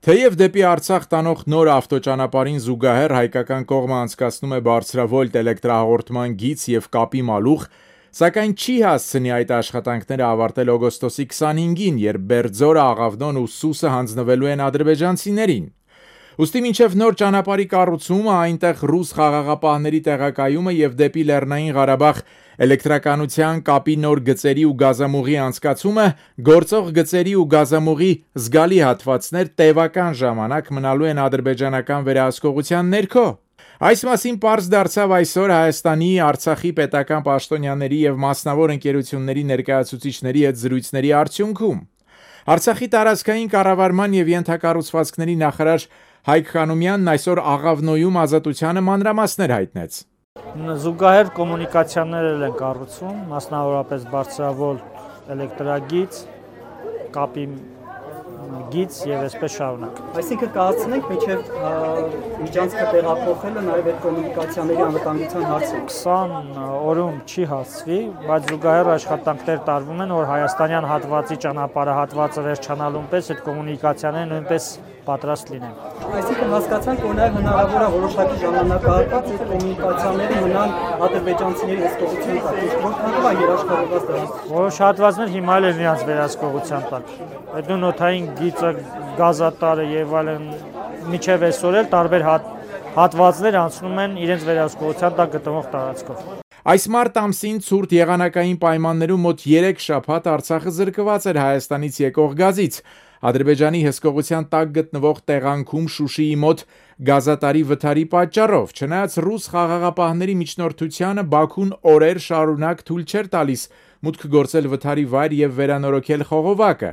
Թեև դեպի Արցախ տանող նոր ավտոճանապարհին զուգահեռ հայկական կողմը անցկացնում է բարձրավոլտ էլեկտրահաղորդման գիծ եւ կապի մալուխ, սակայն չի հասցնի այդ աշխատանքները ավարտել օգոստոսի 25-ին, երբ Բերձորը, Աղավնոն ու Սուսը հանձնվելու են ադրբեջանցիներին։ Ուստի մինչև նոր ճանապարհի կառուցումը, այնտեղ ռուս խաղաղապահների տեղակայումը եւ դեպի Լեռնային Ղարաբաղ էլեկտրականության կապի նոր գծերի ու գազամուղի անցկացումը, գործող գծերի ու գազամուղի զգալի հատվածներ տևական ժամանակ մնալու են ադրբեջանական վերահսկողության ներքո։ Այս մասին պարզ դարձավ այսօր Հայաստանի, Արցախի պետական պաշտոնյաների եւ մասնավոր ընկերությունների ներկայացուցիչների հետ զրույցների արդյունքում։ Արցախի տարածքային կառավարման եւ ենթակառուցվածքների նախարար Հայկ Խանոմյանն այսօր Աղավնոյում Ազատությանը մանրամասներ հայտնեց։ Զուգահեռ կոմունիկացիաներ են կառուցվում, մասնավորապես բարձրավոլտ էլեկտրագիծ, կապի գիծ եւ այսպես շարունակ։ Այսինքն կհասցնենք մինչև միջանցքը տեղափոխելը նաեւ այդ կոմունիկացիաների անվտանգության հարցը։ 20 օրում չի հասցվի, բայց զուգահեռ աշխատանքներ տարվում են, որ հայաստանյան հատվածի ճանապարհը հատվածը վերջանալուն պես այդ կոմունիկացիաները նույնպես պատրաստ լինեն։ Այսինքն հասկացանք, որ նաեւ հնարավոր է որոշակի ժամանակահատված այդ կոմունիկացիաները մնան ադրբեջանցիների հսկողության տակ։ Որքանով է երաշխավորված դրանց։ Որոշ հատվածներ հիմա էլ են իրենց վերահսկողության տակ։ Այդ նոթային գիծը, գազատարը եւ այլն միջև այսօր էլ տարբեր հատվածներ անցնում են իրենց վերահսկողության տակ գտնվող տարածքով։ Այս մարտ ամսին ցուրտ եղանակային պայմաններում մոտ 3 շաբաթ Արցախը զրկված էր Հայաստանից եկող գազից։ Ադրբեջանի հսկողության տակ գտնվող տեղանքում Շուշիի մոտ գազատարի վթարի պատճառով, չնայած ռուս խաղաղապահների միջնորդությանը Բաքուն օրեր շարունակ թույլ չէր տալիս մուտք գործել վթարի վայր եւ վերանորոգել խողովակը։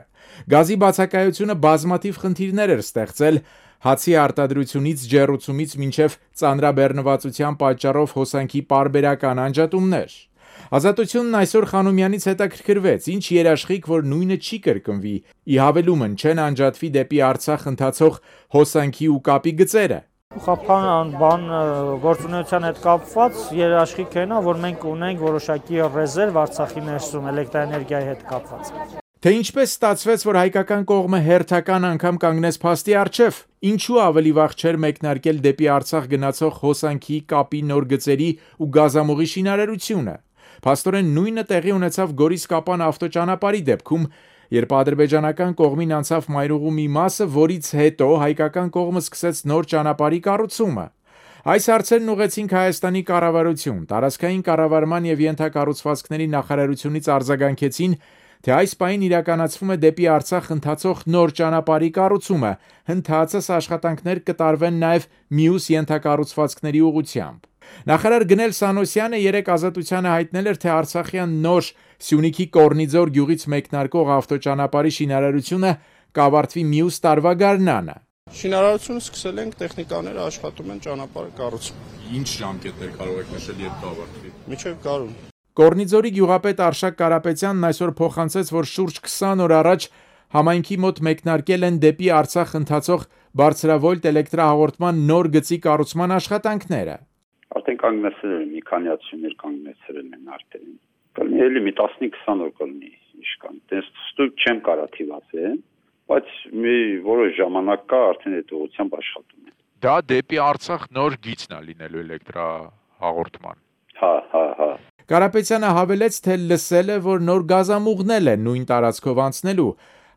Գազի բացակայությունը բազմաթիվ խնդիրներ էր ստեղծել, հացի արտադրությունից ջեռուցումից մինչև ծանրաբեռնվածության պատճառով հոսանքի պարբերական անջատումներ։ Ազատությունն այսօր Խանոմյանից հետաքրքրվեց, ինչ երաշխիք, որ նույնը չի կրկնվի, ի հավելումն չեն անջատվի դեպի Արցախ ընթացող հոսանքի ու կապի գծերը։ Խափան գործունեության հետ կապված երաշխիքն է, որ մենք ունենք որոշակի ռեզերվ Արցախի ներսում էլեկտրաէներգիայի հետ կապված։ Թե ինչպես ստացվեց, որ հայկական կողմը հերթական անգամ կանգնեց փաստի առջև, ինչու ավելի վաղ չէր մեկնարկել դեպի Արցախ գնացող հոսանքի, կապի նոր գծերի ու գազամուղի շինարարությունը։ Փաստորեն նույնը տեղի ունեցավ Գորիս-Կապան ավտոճանապարհի դեպքում, երբ ադրբեջանական կողմին անցավ մայրուղու մի մասը, որից հետո հայկական կողմը սկսեց նոր ճանապարհի կառուցումը։ Այս հարցերն ուղեցինք Հայաստանի կառավարություն, տարածքային կառավարման եւ ենթակառուցվածքների նախարարությունից արձագանքեցին, թե այս պահին իրականացվում է դեպի Արցախ ընթացող նոր ճանապարհի կառուցումը, հնդածս աշխատանքներ կտարվեն նաեւ մյուս ենթակառուցվածքների ուղղությամբ։ Նախարար Գնել Սանոսյանը երեկ Ազատությանը հայտնել էր, թե Արցախյան նոր Սյունիքի Կորնիձոր գյուղից մեկնարկող ավտոճանապարհի շինարարությունը կավարտվի մյուս տարվա գարնանը։ Շինարարությունը սկսել ենք, տեխնիկաները աշխատում են ճանապարհը կառուցում։ Ինչ ժամկետներ կարող եք նշել, երբ կավարտվի։ Մինչև գարուն։ Կորնիձորի գյուղապետ Արշակ Կարապետյանն այսօր փոխանցեց, որ շուրջ 20 օր առաջ համայնքի մոտ մեկնարկել են դեպի Արցախ ընթացող բարձրավոլտ էլեկտրահաղորդման նոր գծի կառուցման աշխատանքները։ Արդեն կանգնեցել են, մի քանի ացումներ կանգնեցել են արդեն։ Կլինի էլի մի 15-20 օր կլինի իշքան։ Դες ստույգ չեմ կարա թիվացել, բայց մի որոշ ժամանակ կա արդեն այդ ուղղությամբ աշխատում են։ Դա դեպի Արցախ նոր գիծն է լինելու էլեկտրահաղորդման։ Հա։ Կարապետյանը հավելեց, թե լսել է, որ նոր գազամուղնել են նույն տարածքով անցնելու։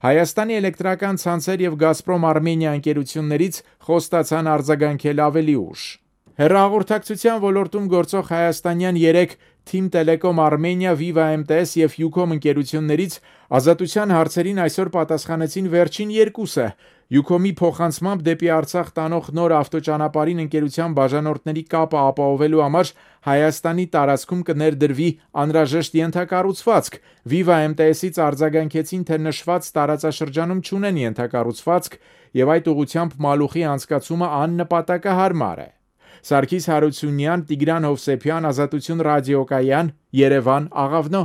Հայաստանի էլեկտրական ցանցեր եւ Գազպրոմ Արմենիա ընկերություններից խոստացան արձագանքել ավելի ուշ։ Հեռահաղորդակցության ոլորտում գործող հայաստանյան 3 Team Telecom Armenia, Viva MTS եւ Ucom ընկերություններից Ազատության հարցերին այսօր պատասխանեցին վերջին երկուսը։ Ucom-ի փոխանցմամբ դեպի Արցախ տանող նոր ավտոճանապարհին ընկերության բաժանորդների կապը ապահովելու համար Հայաստանի տարածքում կներդրվի անհրաժեշտ ենթակառուցվածք։ Viva MTS-ից արձագանքեցին, թե նշված տարածաշրջանում չունեն ենթակառուցվածք եւ այդ ուղղությամբ մալուխի անցկացումը աննպատակահարմար է։ Սարգիս Հարությունյան, Տիգրան Հովսեփյան, Ազատություն ռադիոկայան, Երևան, Աղավնո։